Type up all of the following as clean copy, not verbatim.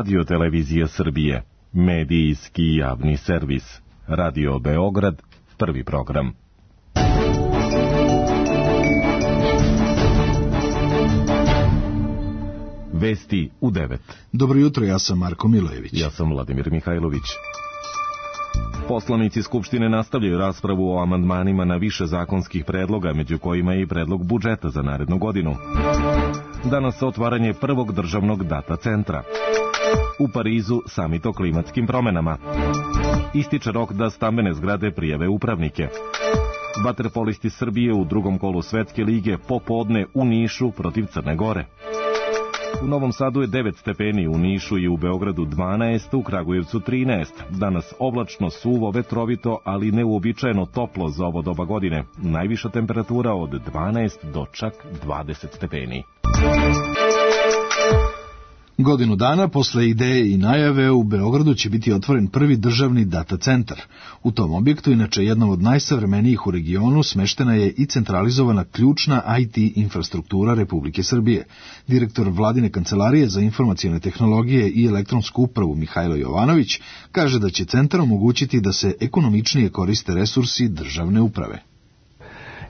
Radio-televizije Srbije, medijski javni servis. Radio Beograd, prvi program. Vesti u 9. Dobro jutro, ja sam Marko Milojević. Ja sam Vladimir Mihajlović. Poslanici Skupštine nastavljaju raspravu o amandmanima na više zakonskih predloga, među kojima je i predlog budžeta za narednu godinu. Danas otvaranje prvog državnog data centra. U Parizu samit o klimatskim promenama. Ističe rok da stambene zgrade prijave upravnike. Vaterpolisti Srbije u drugom kolu Svetske lige popodne u Nišu protiv Crne Gore. U Novom Sadu je 9 stepeni, u Nišu i u Beogradu 12, u Kragujevcu 13. Danas oblačno, suvo, vetrovito, ali neuobičajeno toplo za ovo doba godine. Najviša temperatura od 12 do čak 20 stepeni. Godinu dana posle ideje i najave u Beogradu će biti otvoren prvi državni data centar. U tom objektu, inače jednom od najsavremenijih u regionu, smeštena je i centralizovana ključna IT infrastruktura Republike Srbije. Direktor Vladine kancelarije za informacione tehnologije i elektronsku upravu Mihajlo Jovanović kaže da će centar omogućiti da se ekonomičnije koriste resursi državne uprave.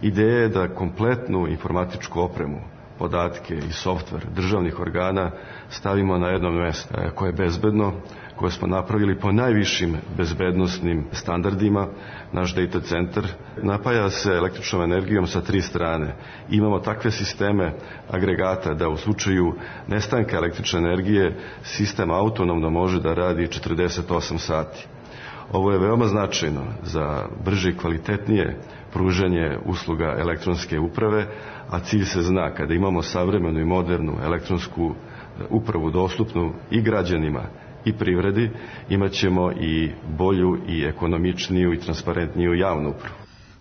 Ideja je da kompletnu informatičku opremu, podatke i softver državnih organa stavimo na jedno mjesto koje je bezbedno, koje smo napravili po najvišim bezbednosnim standardima. Naš data centar napaja se električnom energijom sa 3 strane. Imamo takve sisteme agregata da u slučaju nestanka električne energije sistem autonomno može da radi 48 sati. Ovo je veoma značajno za brže i kvalitetnije pružanje usluga elektronske uprave, a cilj se zna, kada imamo savremenu i modernu elektronsku upravu dostupnu i građanima i privredi, imat ćemo i bolju i ekonomičniju i transparentniju javnu upravu.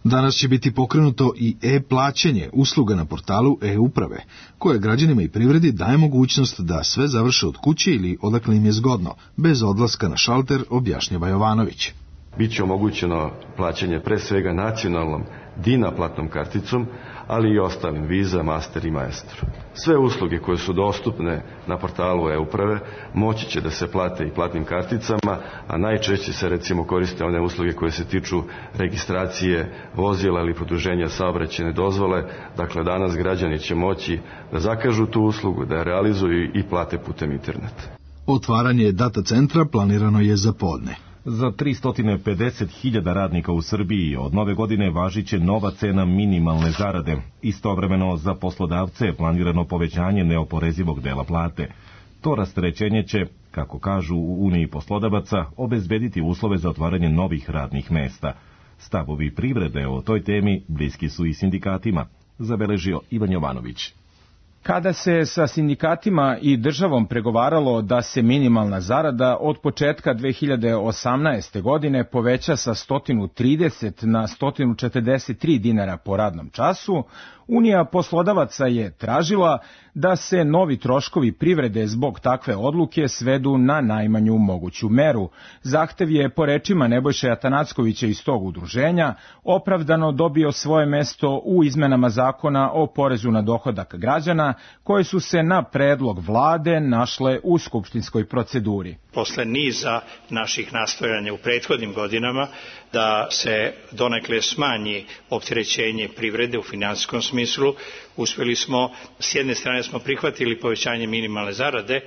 Danas će biti pokrenuto i e-plaćanje, usluga na portalu e-uprave, koje građanima i privredi daje mogućnost da sve završe od kuće ili odakle im je zgodno, bez odlaska na šalter, objašnjava Jovanović. Biće omogućeno plaćanje pre svega nacionalnom DINA platnom karticom, ali i ostalim Visa, Master i Maestro. Sve usluge koje su dostupne na portalu e-uprave moći će da se plate i platnim karticama, a najčešće se recimo koriste one usluge koje se tiču registracije vozila ili produženja saobraćajne dozvole. Dakle, danas građani će moći da zakažu tu uslugu, da je realizuju i plate putem interneta. Otvaranje data centra planirano je za podne. Za 350.000 radnika u Srbiji od nove godine važiće nova cena minimalne zarade. Istovremeno za poslodavce je planirano povećanje neoporezivog dela plate. To rasterećenje će, kako kažu u Uniji poslodavaca, obezbediti uslove za otvaranje novih radnih mesta. Stavovi privrede o toj temi bliski su i sindikatima, zabeležio Ivan Jovanović. Kada se sa sindikatima i državom pregovaralo da se minimalna zarada od početka 2018. godine poveća sa 130 na 143 dinara po radnom času, Unija poslodavaca je tražila da se novi troškovi privrede zbog takve odluke svedu na najmanju moguću meru. Zahtev je, po rečima Nebojše Atanackovića iz tog udruženja, opravdano dobio svoje mesto u izmenama zakona o porezu na dohodak građana, koje su se na predlog vlade našle u skupštinskoj proceduri. Posle niza naših nastojanja u prethodnim godinama da se donekle smanji opterećenje privrede u finansijskom smislu, uspeli smo, s jedne strane smo prihvatili povećanje minimalne zarade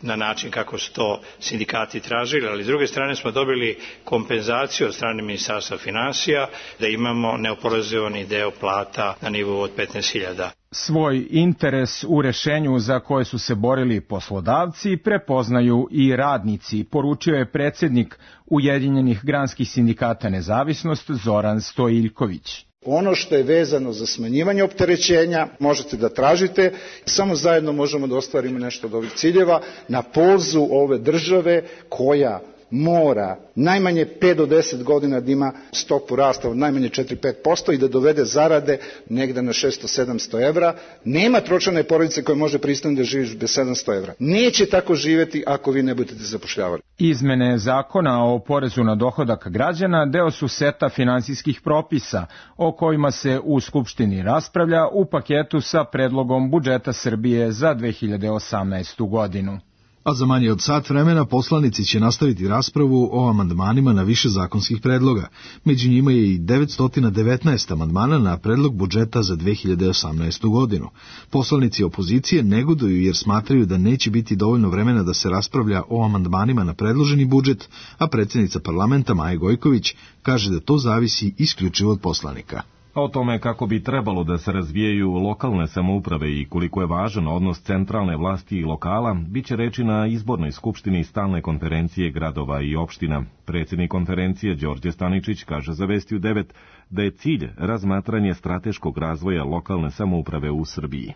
na način kako su to sindikati tražili, ali s druge strane smo dobili kompenzaciju od strane Ministarstva finansija da imamo neoporezovani deo plata na nivou od 15.000. Svoj interes u rešenju za koje su se borili poslodavci prepoznaju i radnici, poručio je predsjednik Ujedinjenih granskih sindikata Nezavisnost Zoran Stojiljković. Ono što je vezano za smanjivanje opterećenja možete da tražite, samo zajedno možemo da ostvarimo nešto od ovih ciljeva na polzu ove države koja mora najmanje 5 do 10 godina da ima stopu rasta od najmanje 4-5% i da dovede zarade negde na 600-700 evra. Nema tročlane porodice koja može pristojno da živi bez 700 evra. Neće tako živeti ako vi ne budete zapošljavali. Izmene zakona o porezu na dohodak građana deo su seta finansijskih propisa o kojima se u Skupštini raspravlja u paketu sa predlogom budžeta Srbije za 2018. godinu. A za manje od sat vremena poslanici će nastaviti raspravu o amandmanima na više zakonskih predloga. Među njima je i 919 amandmana na predlog budžeta za 2018. godinu. Poslanici opozicije negoduju jer smatraju da neće biti dovoljno vremena da se raspravlja o amandmanima na predloženi budžet, a predsjednica parlamenta Maja Gojković kaže da to zavisi isključivo od poslanika. O tome kako bi trebalo da se razvijaju lokalne samouprave i koliko je važan odnos centralne vlasti i lokala, bit će reči na izbornoj skupštini stalne konferencije gradova i opština. Predsjednik konferencije Đorđe Staničić kaže za Vesti u 9 da je cilj razmatranje strateškog razvoja lokalne samouprave u Srbiji.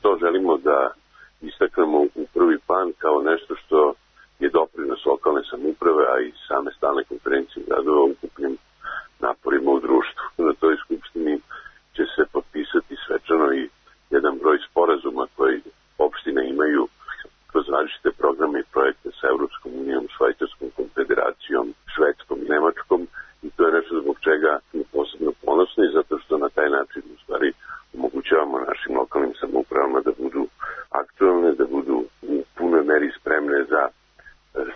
To želimo da istaknemo u prvi plan kao nešto što je doprinos lokalne samouprave, a i same stalne konferencije gradova ukupnim naporima u društvu. Na toj skupštini će se potpisati svečano i jedan broj sporazuma koji opštine imaju kroz različite programe i projekte sa Evropskom unijom, Švajcarskom konfederacijom, Švedskom i Nemačkom, i to je nešto zbog čega smo posebno ponosni, zato što na taj način u stvari omogućavamo našim lokalnim samoupravama da budu aktualne, da budu u punoj meri spremne za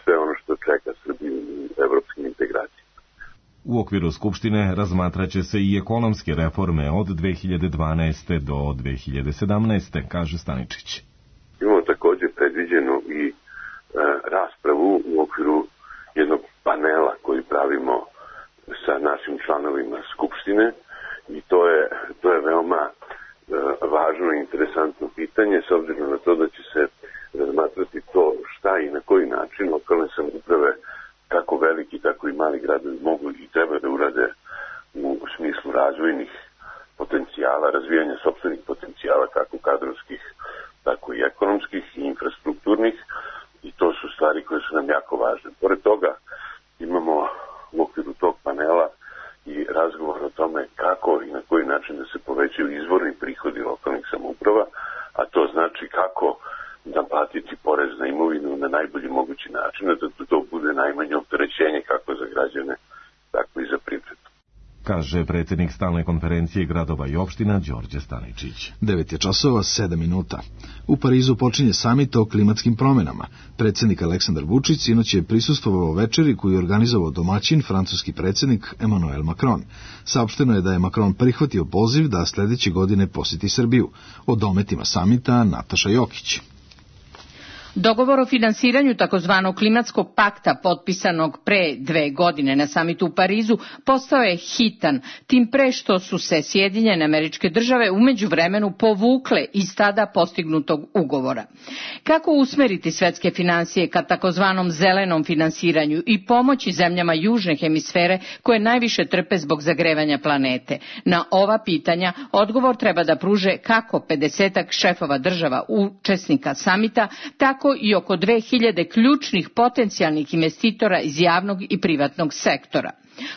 sve ono što čeka Srbiju u evropskim integracijama. U okviru Skupštine razmatraće se i ekonomske reforme od 2012. do 2017. kaže Staničić. Imamo također predviđenu i raspravu u okviru jednog panela koji pravimo sa našim članovima Skupštine, i to je veoma važno i interesantno pitanje, s obzirom na to da će se razmatrati to šta i na koji način lokalne samouprave, kako veliki, tako i mali gradovi mogu i treba da urade u smislu razvojnih potencijala, razvijanja sopstvenih potencijala, kako kadrovskih, tako i ekonomskih i infrastrukturnih, i to su stvari koje su nam jako važne. Pored toga imamo u okviru tog panela i razgovor o tome kako i na koji način da se povećaju izvorni prihodi lokalnih samouprava, a to znači kako naplatiti porez na imovinu na najbolji mogući način, da to bude najmanje opterećenje kako za građane, tako i za privredu. Kaže predsjednik stalne konferencije gradova i opština Đorđe Staničić. 9:07. U Parizu počinje samit o klimatskim promjenama. Predsjednik Aleksandar Vučić sinoć je prisustvovao večeri koju je organizovao domaćin, francuski predsjednik Emmanuel Macron. Saopšteno je da je Macron prihvatio poziv da sljedeće godine posjeti Srbiju. O dometima samita Nataša Jokić. Dogovor o finansiranju takozvanog klimatskog pakta potpisanog pre 2 godine na samitu u Parizu postao je hitan, tim pre što su se Sjedinjene Američke Države u međuvremenu povukle iz tada postignutog ugovora. Kako usmeriti svetske finansije ka takozvanom zelenom finansiranju i pomoći zemljama južne hemisfere koje najviše trpe zbog zagrevanja planete? Na ova pitanja odgovor treba da pruže kako 50-ak šefova država učesnika samita, tako i oko 2000 ključnih potencijalnih investitora iz javnog i privatnog sektora.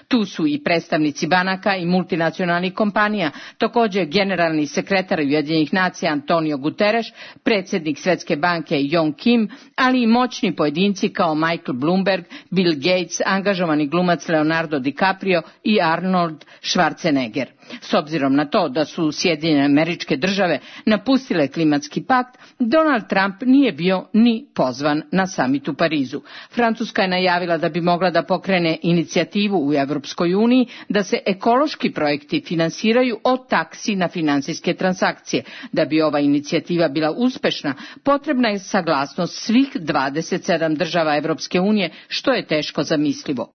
Tu su i predstavnici banaka i multinacionalnih kompanija, također generalni sekretar Ujedinjenih nacija Antonio Guterres, predsjednik Svjetske banke Yong Kim, ali i moćni pojedinci kao Michael Bloomberg, Bill Gates, angažovani glumac Leonardo DiCaprio i Arnold Schwarzenegger. S obzirom na to da su Sjedinjene Američke Države napustile klimatski pakt, Donald Trump nije bio ni pozvan na samit u Parizu. Francuska je najavila da bi mogla da pokrene inicijativu u Evropskoj uniji da se ekološki projekti finansiraju od taksi na finansijske transakcije. Da bi ova inicijativa bila uspešna, potrebna je saglasnost svih 27 država Evropske unije, što je teško zamislivo.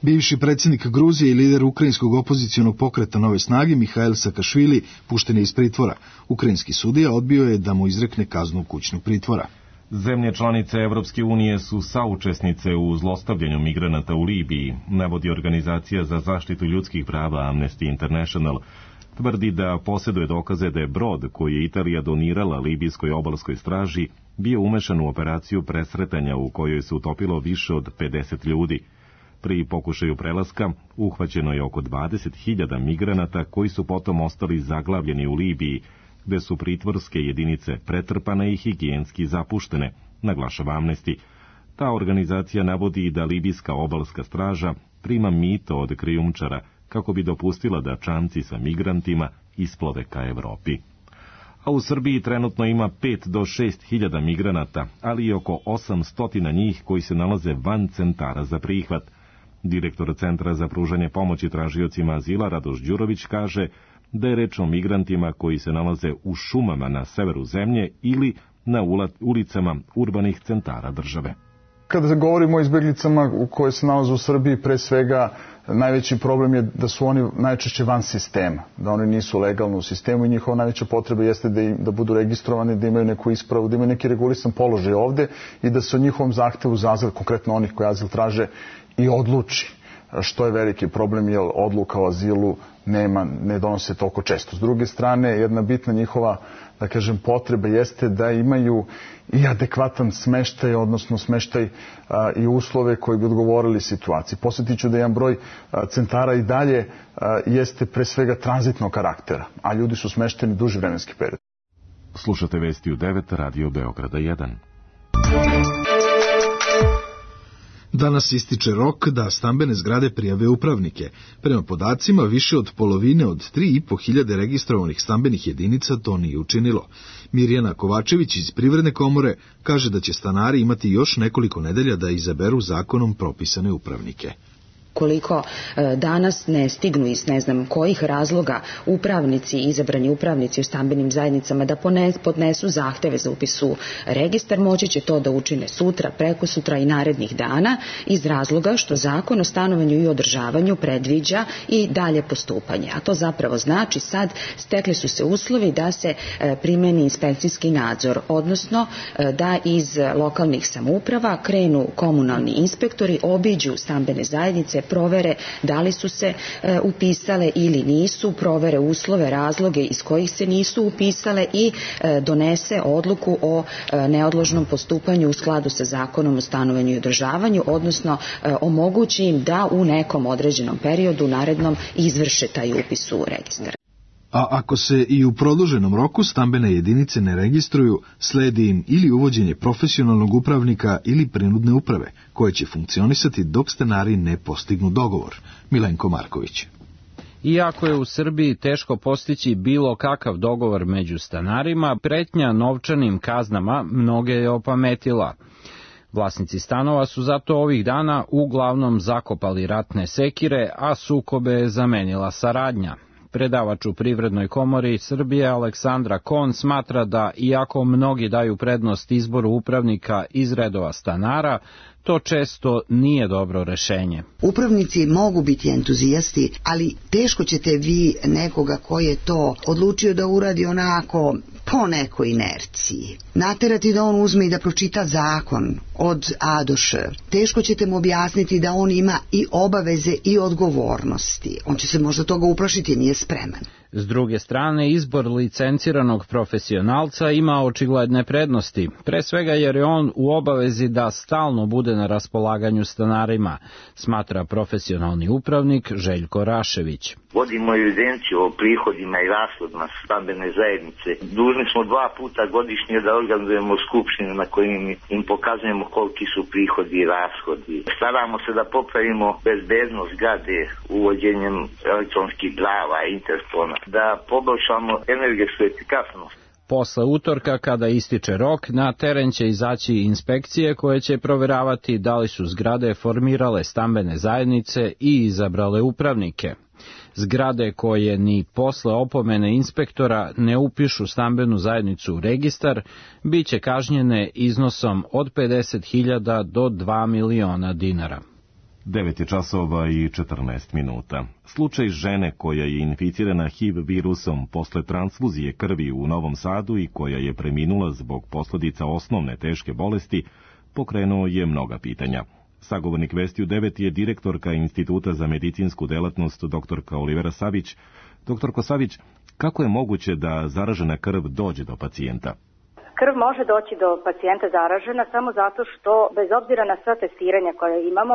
Bivši predsjednik Gruzije i lider ukrajinskog opozicionog pokreta Nove snage Mihail Sakašvili pušten je iz pritvora. Ukrajinski sudija odbio je da mu izrekne kaznu kućnog pritvora. Zemlje članice Evropske unije su saučesnice u zlostavljanju migranata u Libiji, navodi organizacija za zaštitu ljudskih prava Amnesty International. Tvrdi da posjeduje dokaze da je brod koji je Italija donirala libijskoj obalskoj straži bio umešan u operaciju presretanja u kojoj se utopilo više od 50 ljudi. Pri pokušaju prelaska uhvaćeno je oko 20.000 migranata koji su potom ostali zaglavljeni u Libiji, gde su pritvorske jedinice pretrpane i higijenski zapuštene, naglašava Amnesty. Ta organizacija navodi da libijska obalska straža prima mito od krijumčara kako bi dopustila da čamci sa migrantima isplove ka Evropi. a u Srbiji trenutno ima 5 do 6 hiljada migranata, ali i oko 800 njih koji se nalaze van centara za prihvat. Direktor Centra za pružanje pomoći tražiocima azila Radoš Đurović kaže da je reč o migrantima koji se nalaze u šumama na severu zemlje ili na ulicama urbanih centara države. Kada govorimo o izbjeglicama koje se nalaze u Srbiji, pre svega najveći problem je da su oni najčešće van sistema, da oni nisu legalno u sistemu i njihova najveća potreba jeste da budu registrovani, da imaju neku ispravu, da imaju neki regulisan položaj ovde i da se o njihovom zahtevu za azil, konkretno onih koji azil traže, i odluči. Što je veliki problem, jer odluka o azilu ne donose toliko često. S druge strane, jedna bitna njihova, da kažem, potreba jeste da imaju i adekvatan smeštaj, odnosno smeštaj i uslove koji bi odgovorili situaciji. Posjetit ću da jedan broj centara i dalje jeste pre svega tranzitnog karaktera, a ljudi su smešteni duži vremenski period. Slušate vesti u 9, Radio Beograda 1. Danas ističe rok da stambene zgrade prijave upravnike. Prema podacima, više od polovine od 3.500 registrovanih stambenih jedinica to nije učinilo. Mirjana Kovačević iz Privredne komore kaže da će stanari imati još nekoliko nedelja da izaberu zakonom propisane upravnike. Koliko danas ne stignu iz ne znam kojih razloga upravnici, izabrani upravnici u stambenim zajednicama da podnesu zahteve za upis u registar, moći će to da učine sutra, prekosutra i narednih dana iz razloga što Zakon o stanovanju i održavanju predviđa i dalje postupanje. A to zapravo znači sad stekli su se uslovi da se primeni inspekcijski nadzor, odnosno da iz lokalnih samouprava krenu komunalni inspektori, obiđu stambene zajednice, provere da li su se upisale ili nisu, provere uslove, razloge iz kojih se nisu upisale i donese odluku o neodložnom postupanju u skladu sa Zakonom o stanovanju i održavanju, odnosno omogući im da u nekom određenom periodu narednom izvrše taj upis u registar. A ako se i u produženom roku stambene jedinice ne registruju, sledi im ili uvođenje profesionalnog upravnika ili prinudne uprave, koje će funkcionisati dok stanari ne postignu dogovor. Milenko Marković. Iako je u Srbiji teško postići bilo kakav dogovor među stanarima, pretnja novčanim kaznama mnoge je opametila. Vlasnici stanova su zato ovih dana uglavnom zakopali ratne sekire, a sukobe je zamenila saradnja. Predavač u Privrednoj komori Srbije Aleksandra Kon smatra da, iako mnogi daju prednost izboru upravnika iz redova stanara, to često nije dobro rešenje. Upravnici mogu biti entuzijasti, ali teško ćete vi nekoga koji je to odlučio da uradi onako po nekoj inerciji naterati da on uzme i da pročita zakon od A do Š. Teško ćete mu objasniti da on ima i obaveze i odgovornosti. On će se možda toga uplašiti, nije spreman. S druge strane, izbor licenciranog profesionalca ima očigledne prednosti, pre svega jer je on u obavezi da stalno bude na raspolaganju stanarima, smatra profesionalni upravnik Željko Rašević. Vodimo evidenciju o prihodima i rashodima stambene zajednice. Dužni smo 2 puta godišnje da organizujemo skupštine na kojim im pokazujemo koliki su prihodi i rashodi. Staramo se da popravimo bezbednost zgrade uvođenjem elektronskih glava i interfona, da poboljšamo energetsku efikasnost. Posle utorka, kada ističe rok, na teren će izaći inspekcije koje će proveravati da li su zgrade formirale stambene zajednice i izabrale upravnike. Zgrade koje ni posle opomene inspektora ne upišu stambenu zajednicu u registar, bit će kažnjene iznosom od 50.000 do 2 miliona dinara. 9 časova i 14 minuta. Slučaj žene koja je inficirana HIV virusom posle transfuzije krvi u Novom Sadu i koja je preminula zbog posledica osnovne teške bolesti pokrenuo je mnoga pitanja. Sagovornik Vesti u 9 je direktorka Instituta za medicinsku delatnost doktorka Olivera Savić. Doktorko Savić, kako je moguće da zaražena krv dođe do pacijenta? Krv može doći do pacijenta zaražena samo zato što, bez obzira na sva testiranja koje imamo,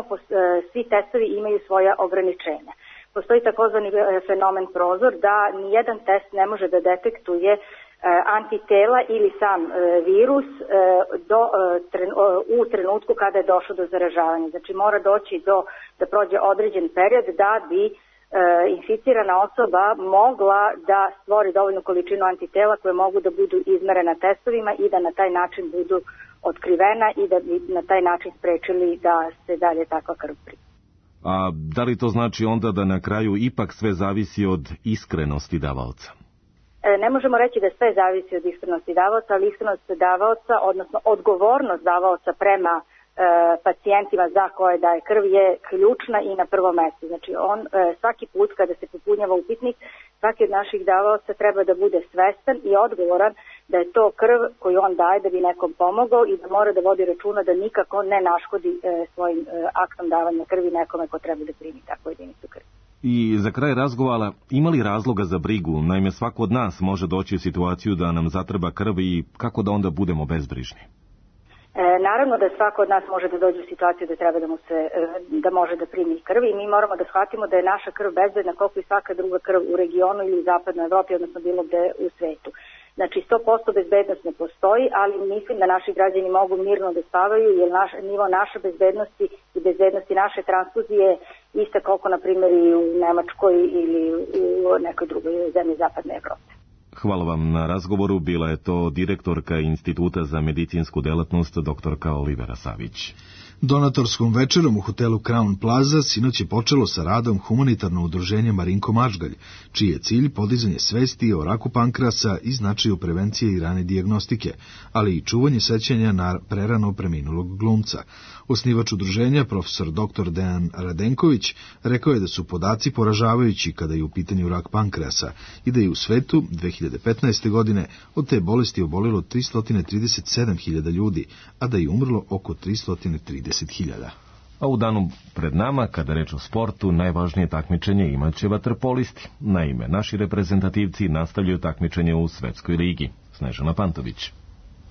svi testovi imaju svoja ograničenja. Postoji takozvani fenomen prozor da nijedan test ne može da detektuje antitela ili sam virus u trenutku kada je došlo do zaražavanja. Znači mora doći da prođe određen period da bi inficirana osoba mogla da stvori dovoljnu količinu antitela koje mogu da budu izmerena testovima i da na taj način budu otkrivena i da bi na taj način sprečili da se dalje takva krv primi. A da li to znači onda da na kraju ipak sve zavisi od iskrenosti davaoca? Ne možemo reći da sve zavisi od iskrenosti davaoca, ali iskrenost davaoca, odnosno odgovornost davaoca prema pacijentima za koje daje krv je ključna i na prvom mjestu. Znači svaki put kada se popunjava upitnik, svaki od naših davaoca treba da bude svestan i odgovoran da je to krv koju on daje da bi nekom pomogao i da mora da vodi računa da nikako ne naškodi svojim aktom davanja krvi nekome ko treba da primi takvu jedinicu krvi. I za kraj razgovora, ima li razloga za brigu? Naime, svako od nas može doći u situaciju da nam zatreba krv i kako da onda budemo bezbrižni? Naravno da svako od nas može da dođe u situaciju da treba da može da primi krv i mi moramo da shvatimo da je naša krv bezbedna koliko i svaka druga krv u regionu ili u zapadnoj Evropi, odnosno bilo gde u svetu. Znači 100% bezbednost ne postoji, ali mislim da naši građani mogu mirno da spavaju jer nivo naše bezbednosti i bezbednosti naše transfuzije ista koliko na primjer i u Nemačkoj ili u nekoj drugoj zemlji zapadne Evrope. Hvala vam na razgovoru. Bila je to direktorka Instituta za medicinsku delatnost doktorka Olivera Savić. Donatorskom večerom u hotelu Crown Plaza sinoć je počelo sa radom humanitarno udruženje Marinko Mažgalj, čiji je cilj podizanje svesti o raku pankrasa i značaju prevencije i rane dijagnostike, ali i čuvanje sećanja na prerano preminulog glumca. Osnivač udruženja, profesor dr. Dejan Radenković, rekao je da su podaci poražavajući kada je u pitanju rak pankrasa i da je u svetu 2015. godine od te bolesti obolilo 337.000 ljudi, a da je umrlo oko 330.000. A u danu pred nama, kada reč o sportu, najvažnije takmičenje imaće vaterpolisti. Naime, naši reprezentativci nastavljaju takmičenje u Svetskoj ligi. Snežana Pantović.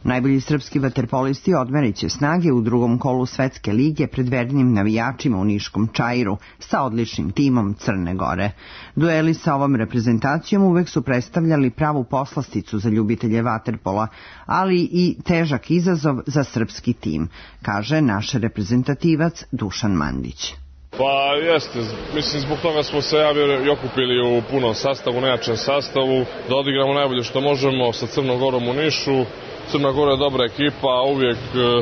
Najbolji srpski vaterpolisti odmerit će snage u drugom kolu Svetske lige pred vernim navijačima u Niškom Čairu sa odličnim timom Crne Gore. Dueli sa ovom reprezentacijom uvek su predstavljali pravu poslasticu za ljubitelje vaterpola, ali i težak izazov za srpski tim, kaže naš reprezentativac Dušan Mandić. Pa jeste, mislim zbog toga smo se i okupili u punom sastavu, nejačem sastavu, da odigramo najbolje što možemo sa Crnom Gorom u Nišu. Crna Gora je dobra ekipa, uvijek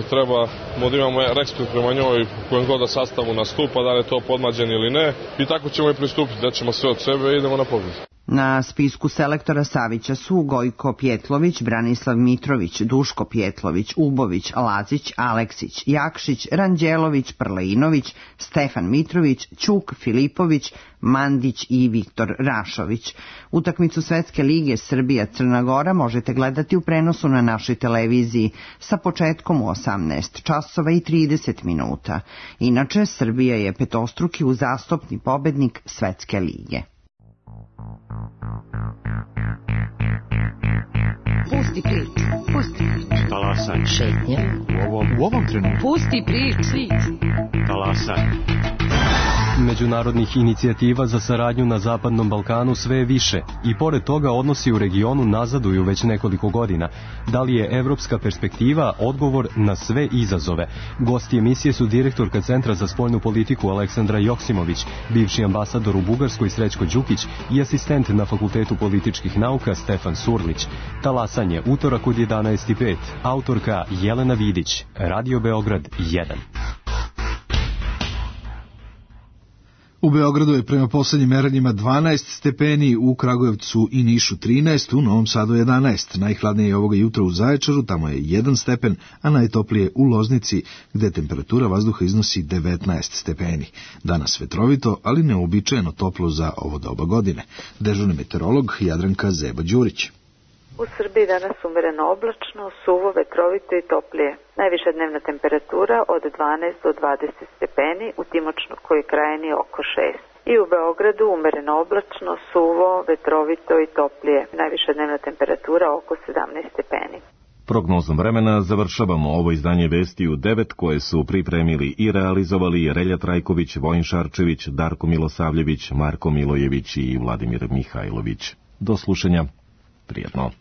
treba da imamo respekt prema njoj u kojem god da sastavu nastupa, da li je to podmlađen ili ne. I tako ćemo i pristupiti, da ćemo sve od sebe i idemo na pobjedu. Na spisku selektora Savića su Gojko Pjetlović, Branislav Mitrović, Duško Pjetlović, Ubović, Lazić, Aleksić, Jakšić, Ranđelović, Prleinović, Stefan Mitrović, Ćuk, Filipović, Mandić i Viktor Rašović. Utakmicu Svetske lige Srbija-Crna Gora možete gledati u prenosu na našoj televiziji sa početkom u 18 časova i 30 minuta. Inače, Srbija je petostruki uzastopni pobednik Svetske lige. Pusti priču, pusti priču. Talasaj. Šetnja. U ovom trenutku. Pusti priču. Talasaj. Međunarodnih inicijativa za saradnju na Zapadnom Balkanu sve je više i pored toga odnosi u regionu nazaduju već nekoliko godina. Da li je evropska perspektiva odgovor na sve izazove? Gosti emisije su direktorka Centra za spoljnu politiku Aleksandra Joksimović, bivši ambasador u Bugarskoj Srećko Đukić i asistent na Fakultetu političkih nauka Stefan Surlić. Talasanje, utorak od 11:05, autorka Jelena Vidić, Radio Beograd 1. U Beogradu je prema poslednjim merenjima 12 stepeni, u Kragujevcu i Nišu 13, u Novom Sadu 11. Najhladnije je ovoga jutra u Zaječaru, tamo je 1 stepen, a najtoplije u Loznici, gde temperatura vazduha iznosi 19 stepeni. Danas vetrovito, ali neuobičajeno toplo za ovo doba godine. Dežurni meteorolog Jadranka Zeba-Đurić. U Srbiji danas umereno oblačno, suvo, vetrovito i toplije. Najviša dnevna temperatura od 12 do 20 stepeni, u Timočkoj krajini oko 6. I u Beogradu umereno oblačno, suvo, vetrovito i toplije. Najviša dnevna temperatura oko 17 stepeni. Prognozom vremena završavamo ovo izdanje vesti u 9 koje su pripremili i realizovali Relja Trajković, Vojin Šarčević, Darko Milosavljević, Marko Milojević i Vladimir Mihajlović. Do slušanja. Prijetno.